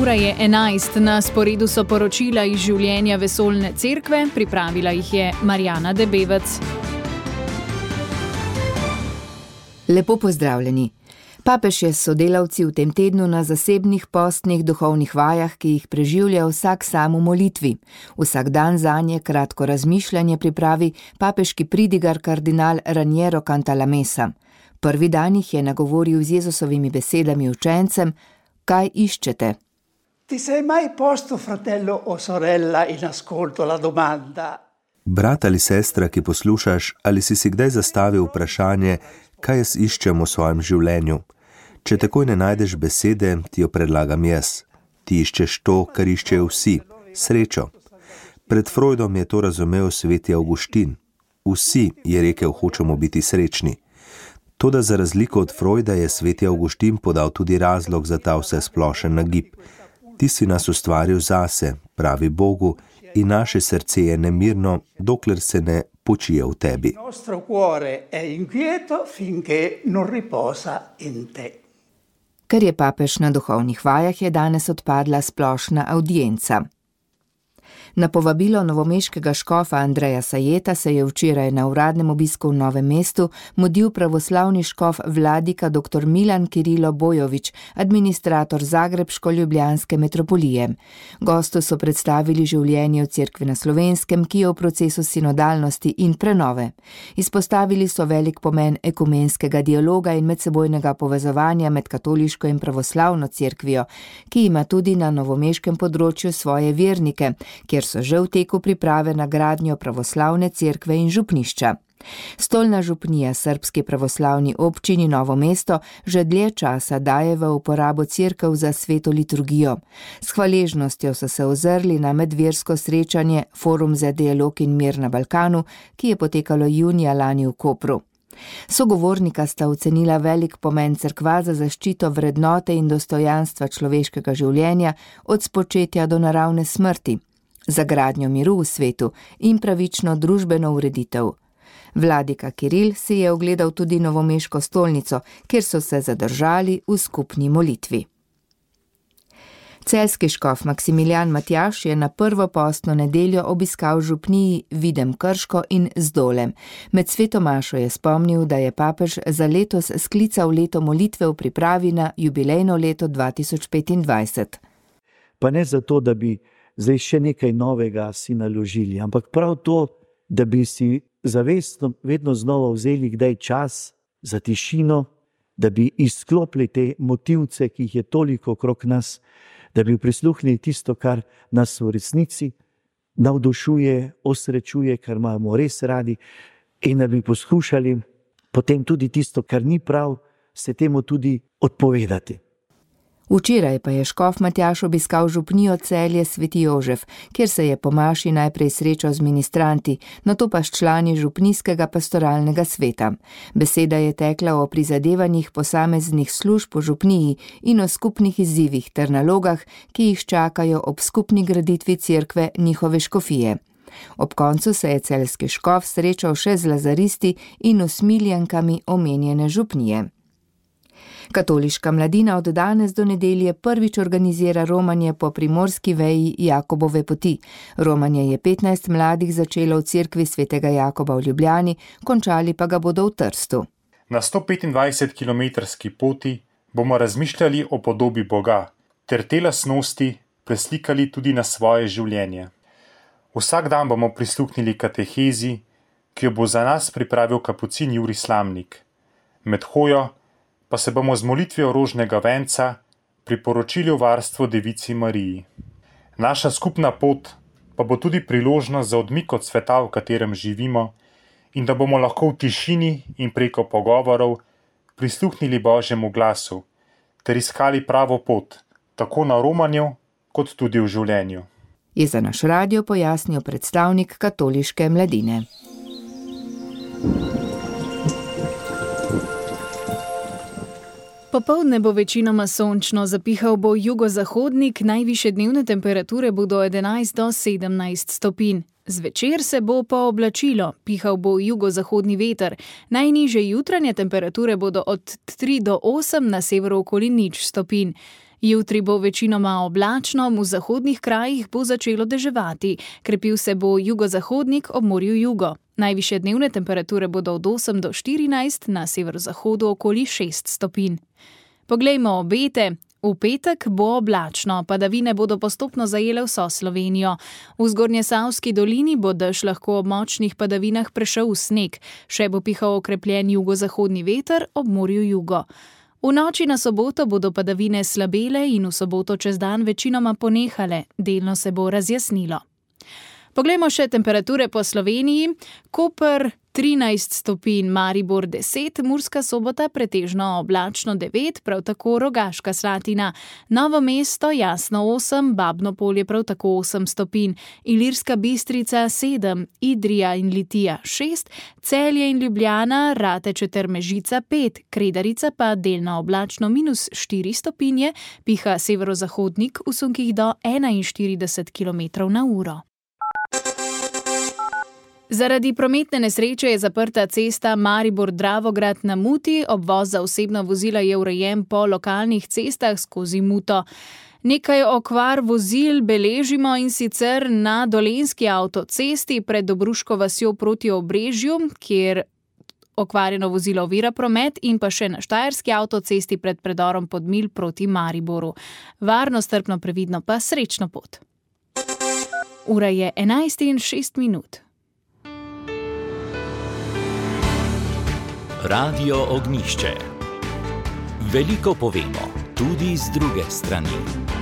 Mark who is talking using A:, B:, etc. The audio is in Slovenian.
A: Ura je 11, na sporedu so poročila iz življenja vesoljne cerkve, pripravila jih je Marjana Debevec.
B: Lepo pozdravljeni. Papež je s sodelavci v tem tednu na zasebnih postnih duhovnih vajah, ki jih preživlja vsak sam v molitvi. Vsak dan zanje kratko razmišljanje pripravi papeški pridigar kardinal Raniero Cantalamessa. Prvi dan jih je nagovoril z Jezusovimi besedami učencem: kaj iščete?
C: Ti sei mai posto, fratello o sorella, in ascolto la domanda?
D: Brat ali sestra, ki poslušaš, ali si kdaj zastavil vprašanje, kaj jaz iščem v svojem življenju? Če takoj ne najdeš besede, ti jo predlagam jaz. Ti iščeš to, kar iščejo vsi, srečo. Pred Freudom je to razumel sveti Avguštin. Vsi, je rekel, hočemo biti srečni. Toda za razliko od Freuda je sveti Avguštin podal tudi razlog za ta vsesplošen nagib. Ti si nas ustvaril zase, pravi Bogu, in naše srce je nemirno, dokler se ne počije v tebi.
C: Nostro cuore è inquieto finché non riposa in te.
B: Ker je papež na duhovnih vajah, je danes odpadla splošna avdienca. Na povabilo novomeškega škofa Andreja Sajeta se je včeraj na uradnem obisku v Novem mestu mudil pravoslavni škof vladika dr. Milan Kirilo Bojovič, administrator Zagrebško-ljubljanske metropolije. Gostu so predstavili življenje v cerkvi na Slovenskem, ki je v procesu sinodalnosti in prenove. Izpostavili so velik pomen ekumenskega dialoga in medsebojnega povezovanja med katoliško in pravoslavno cerkvijo, ki ima tudi na novomeškem področju svoje vernike, kjer so že v teku priprave na gradnjo pravoslavne cerkve in župnišča. Stolna župnija Srbski pravoslavni občini Novo mesto že dlje časa daje v uporabo cerkev za sveto liturgijo. S hvaležnostjo so se ozrli na medversko srečanje Forum za dialog in mir na Balkanu, ki je potekalo junija lani v Kopru. Sogovornika sta ocenila velik pomen cerkva za zaščito vrednote in dostojanstva človeškega življenja od spočetja do naravne smrti, za gradnjo miru v svetu in pravično družbeno ureditev. Vladika Kiril si je ogledal tudi novomeško stolnico, kjer so se zadržali v skupni molitvi. Celjski škof Maksimilijan Matjaž je na prvo postno nedeljo obiskal župniji Videm Krško in Zdolem. Med sveto mašo je spomnil, da je papež za letos sklical leto molitve v pripravi na jubilejno leto 2025.
E: Pa ne zato, da bi zdaj še nekaj novega si naložili, ampak prav to, da bi si zavestno vedno znova vzeli kdaj čas za tišino, da bi izklopili te motivce, ki jih je toliko okrog nas, da bi prisluhnili tisto, kar nas v resnici navdušuje, osrečuje, kar imamo res radi, in da bi poskušali potem tudi tisto, kar ni prav, se temu tudi odpovedati.
B: Včeraj pa je škof Matjaž obiskal župnijo Celje Sveti Jožef, kjer se je po maši najprej srečal z ministranti, nato pa s člani župnijskega pastoralnega sveta. Beseda je tekla o prizadevanjih posameznih služb v župniji in o skupnih izzivih ter nalogah, ki jih čakajo ob skupni graditvi cerkve njihove škofije. Ob koncu se je celjski škof srečal še z lazaristi in usmiljankami omenjene župnije. Katoliška mladina od danes do nedelje prvič organizira romanje po primorski veji Jakobove poti. Romanje je 15 mladih začelo v cerkvi svetega Jakoba v Ljubljani, končali pa ga bodo v Trstu.
F: Na 125-kilometrski poti bomo razmišljali o podobi Boga, ter te lastnosti preslikali tudi na svoje življenje. Vsak dan bomo prisluhnili katehezi, ki jo bo za nas pripravil kapucin Jurij Slamnik. Med hojo pa se bomo z molitvijo rožnega venca priporočili v varstvo Devici Mariji. Naša skupna pot pa bo tudi priložnost za odmik od sveta, v katerem živimo, in da bomo lahko v tišini in preko pogovorov prisluhnili Božjemu glasu ter iskali pravo pot, tako na romanju kot tudi v življenju.
B: Je za naš radio pojasnil predstavnik katoliške mladine.
A: Popoldne bo večinoma sončno, zapihal bo jugozahodnik, najvišje dnevne temperature bodo 11 do 17 stopinj. Zvečer se bo pooblačilo, pihal bo jugozahodni veter, najnižje jutranje temperature bodo od 3 do 8, na severu okoli 0 stopinj. Jutri bo večinoma oblačno, v zahodnih krajih bo začelo deževati. Krepil se bo jugozahodnik ob morju jugo. Najvišje dnevne temperature bodo od 8 do 14, na severozahodu okoli 6 stopinj. Poglejmo obete. V petek bo oblačno, padavine bodo postopno zajele vso Slovenijo. V Zgornjesavski dolini bo dež lahko ob močnih padavinah prešel v sneg, še bo pihal okrepljen jugozahodni veter ob morju jugo. V noči na soboto bodo padavine slabele in v soboto čez dan večinoma ponehale, delno se bo razjasnilo. Poglejmo še temperature po Sloveniji. Koper 13 stopinj, Maribor 10, Murska Sobota pretežno oblačno 9, prav tako Rogaška Slatina. Novo mesto jasno 8, Babno Polje prav tako 8 stopinj, Ilirska Bistrica 7, Idrija in Litija 6, Celje in Ljubljana, Rateče ter Mežica 5, Kredarica pa delno oblačno -4 stopinje, piha severozahodnik v sunkih do 41 km/h. Zaradi prometne nesreče je zaprta cesta Maribor-Dravograd na Muti, obvoz za osebna vozila je urejen po lokalnih cestah skozi Muto. Nekaj okvar vozil beležimo, in sicer na Dolenjski avtocesti pred Dobruško vasjo proti Obrežju, kjer okvarjeno vozilo ovira promet, in pa še na Štajerski avtocesti pred predorom Podmilj proti Mariboru. Varno, strpno, previdno pa srečno pot. Ura je 11:06.
G: Radio Ognjišče. Veliko povemo, tudi z druge strani.